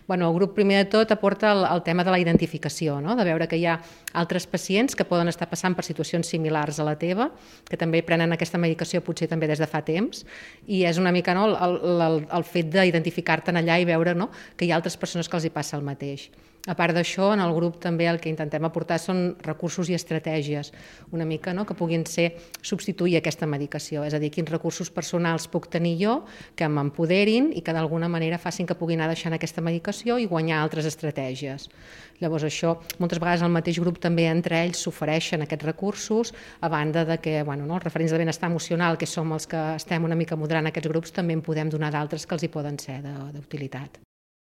El grup primer de tot aporta el tema de la identificació, no? De veure que hi ha altres pacients que poden estar passant per situacions similars a la teva, que també prenen aquesta medicació potser també des de fa temps, i és una mica el fet d'identificar-te'n allà i veure que hi ha altres persones que els hi passa el mateix. A part d'això, en el grup també el que intentem aportar són recursos i estratègies, una mica que puguin ser substituir aquesta medicació, és a dir, quins recursos personals puc tenir jo que m'empoderin i que d'alguna manera facin que pugui anar deixant aquesta medicació i guanyar altres estratègies. Llavors això, moltes vegades el mateix grup també entre ells s'ofereixen aquests recursos, a banda de que els referents de benestar emocional, que som els que estem una mica moderant aquests grups, també en podem donar d'altres que els hi poden ser d'utilitat.